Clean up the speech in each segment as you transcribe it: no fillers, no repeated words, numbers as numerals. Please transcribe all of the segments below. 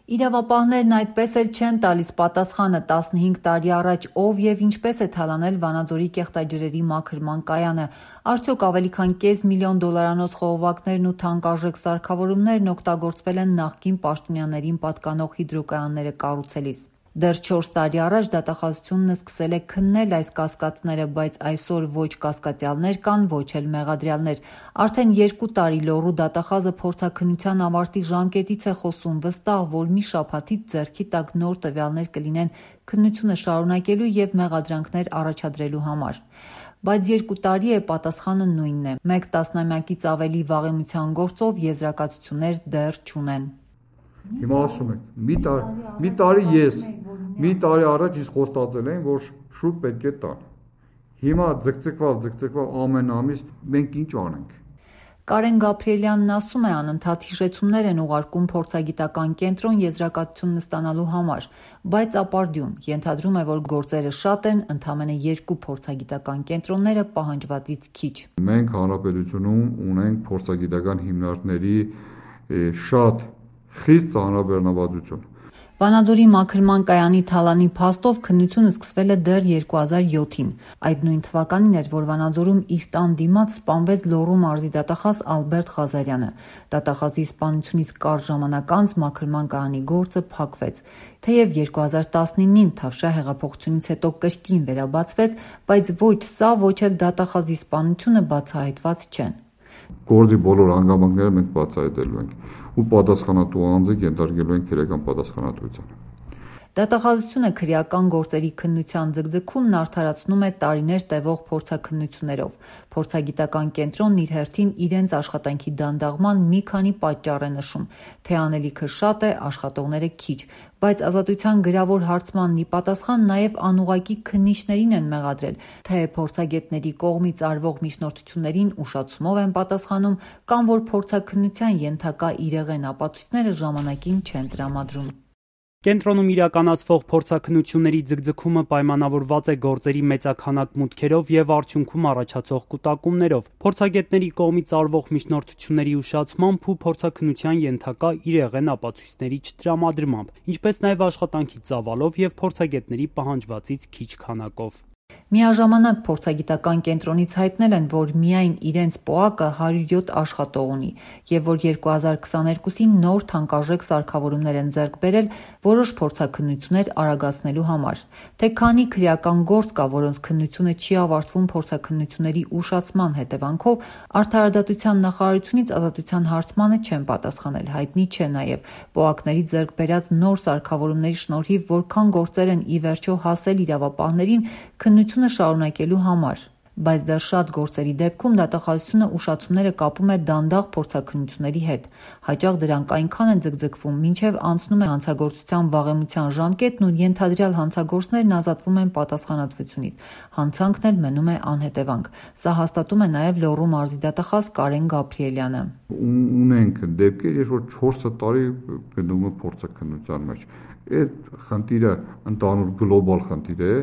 Իրավապահներն այդպես էլ չեն տալիս պատասխանը 15 տարի առաջ ով և ինչպես է թալանել Վանաձորի կեղտաջրերի մաքրման կայանը, արդյոք ավելի քան $500,000 խողովակներն ու թանկարժեք սարքավորումներն օգտագործվել են նախկին պաշտոնյաներին պատկանող հիդրոկայանները կառուցելիս։ Դեռ 4 տարի առաջ դատախազությունն սկսել է քննել այս կասկածները, բայց այսօր ոչ կասկածյալներ կան, ոչ էլ մեղադրյալներ։ Արդեն 2 տարի լոռու դատախազը փորձաքննության ավարտի ժամկետից է խոսում, վստահ, որ մի շաբաթից ձեռքի տակ նոր տվյալներ կլինեն քննությունը շարունակելու և մեղադրանքներ առաջադրելու համար։ Բայց 2 տարի է պատասխանը նույնն է։ Մեկ տասնամյակից ավելի վաղեմության գործով եզրակացություններ դեռ չունեն։ Հիմա ասում եք, մի տարի ես, մի տարի առաջ իսկ խոստացել էին, որ շուտ պետք է տան։ Հիմա ձգձգվալ ամեն ամիս մենք ինչ անենք։ Կարեն Գաբրիելյանն ասում է, անընդհատ հիշեցումներ են ուղարկում փորձագիտական կենտրոն եզրակացությունն ստանալու համար, բայց ապարդյուն, ենթադրում է, որ գործերը շատ են, ընդամենը 2 փորձագիտական կենտրոնները պահանջվածից քիչ։ Մենք հանրապետությունում ունենք փորձագիտական հիմնարկների շատ խիստ ծանրաբեռնվածություն։ Վանաձորի մաքրման կայանի թալանի փաստով քննությունը սկսվել է դեռ 2007-ին։ Այդ նույն թվականին էր, որ Վանաձորում իր տան դիմաց սպանվեց Լոռու մարզի դատախազ Ալբերտ Ղազարյանը։ Դատախազի սպանությունից կարճ ժամանակ անց մաքրման կայանի գործը փակվեց։ Թեև 2019-ին Թավշյա հեղափոխությունից հետո կրկին վերաբացվեց, բայց ոչ սա, ոչ էլ դատախազի սպանությունը բացահայտված չեն։ Գործի բոլոր հանգամանքները մենք բացահայտելու ենք ու պատասխանատու անձը ենթարկելու ենք քրեական պատասխանատվության։ Դատախազությունը քրեական գործերի քննության ձգձգումն արդարացնում է տարիներ տևող փորձաքննություններով։ Փորձագիտական կենտրոնն իր հերթին իրենց աշխատանքի դանդաղման մի քանի պատճառ է նշում, թե անելիքը շատ է, աշխատողները քիչ, բայց Ազատության գրավոր հարցմանն ի պատասխան նաև անուղղակի քննիչներին են մեղադրել, թե փորձագետների կողմից արվող միջնորդություններին ուշացումով են պատասխանում կամ որ փորձաքննության ենթակա իրեղեն ապացույցները ժամանակին չեն տրամադրում։ Կենտրոնում իրականացվող փորձաքննությունների ձգձգումը պայմանավորված է գործերի մեծաքանակ մուտքերով եւ արդյունքում առաջացող կուտակումներով, փորձագետների կողմից արվող միջնորդությունների ուշացմամբ ու փորձաքննության ենթակա իրեղեն ապացույցների չտրամադրմամբ, ինչպես նաեւ աշխատանքի ծավալով եւ փորձագետների պահանջվածից քիչ քանակով։ Միաժամանակ փորձագիտական կենտրոնից հայտնել են, որ միայն իրենց ՊՕԱԿ-ը 107 աշխատող ունի և որ 2022-ին նոր թանկարժեք սարքավորումներ են ձեռք բերել որոշ փորձաքննություններ արագացնելու համար։ Թե քանի քրեական գործ կա, որոնց քննությունը չի ավարտվում փորձաքննությունների ուշացման հետևանքով, Արդարադատության նախարարությունից Ազատության հարցմանը չեն պատասխանել, հայտնի չէ նաև ՊՕԱԿ-ների ձեռք բերած նոր սարքավորումների շնորհիվ որքան գործեր են ի վերջո հասել իրավապահներին քննությունը շարունակելու համար, բայց դեռ շատ գործերի դեպքում դատախազությունը ուշացումները կապում է դանդաղ փորձաքննությունների հետ։ Հաճախ դրանք այնքան են ձգձգվում, մինչև անցնում է հանցագործության վաղեմության ժամկետն ու ենթադրյալ հանցագործներն ազատվում են պատասխանատվությունից, հանցանքն էլ մնում է անհետևանք։ Սա հաստատում է նաև Լոռու մարզի դատախազ Կարեն Գաբրիելյանը։ Ունենք դեպքեր, երբ որ 4 տարի գտնվում է փորձաքննության մեջ։ Այդ խնդիրը ընդհանուր գլոբալ խնդիր է։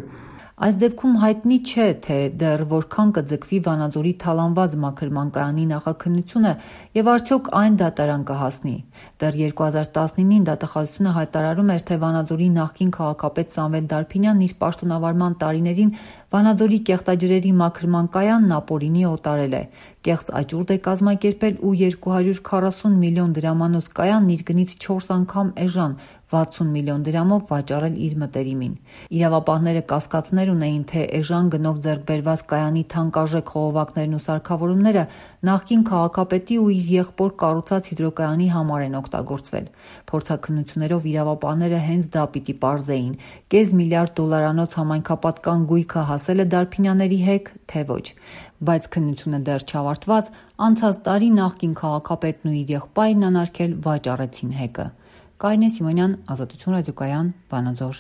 Այս դեպքում հայտնի չէ, թե դեռ որքան կձգվի Վանաձորի թալանված մաքրման կայանի նախաքննությունը և արդյոք այն դատարան կհասնի։ Դեռ 2019-ին դատախազությունը հայտարարում էր, թե Վանաձորի նախկին քաղաքապետ Սամվել Դարբինյանն իր պաշտոնավարման տարիներին Վանաձորի կեղտաջրերի մաքրման կայանն ապօրինի օտարել է, կեղծ աճուրդ է կազմակերպել ու 240 միլիոն դրամանոց կայանն իր գնից 4 անգամ էժան 60 միլիոն դրամով վաճառել իր մտերիմին։ Իրավապահները կասկածներ ունեին, թե էժան գնով ձեռք բերված կայանի թանկարժեք խողովակներն ու սարքավորումները նախկին քաղաքապետի ու իր եղբոր կառուցած հիդրոկայանի համար են օգտագործվել։ Փորձաքննություններով իրավապահները հենց դա պիտի պարզեին՝ կես միլիարդ դոլարանոց համայնքապատկան գույքը հասել է Դարբինյանների հեք, թե ոչ։ Բայց քննությունը դեռ չավարտված, անցած տարի նախկին քաղաքապետն ու իր եղբայրն անարգել վաճառեցին հեկը։ Կարինե Սիմոնյան, Ազատություն ռադիոկայան, Վանաձոր։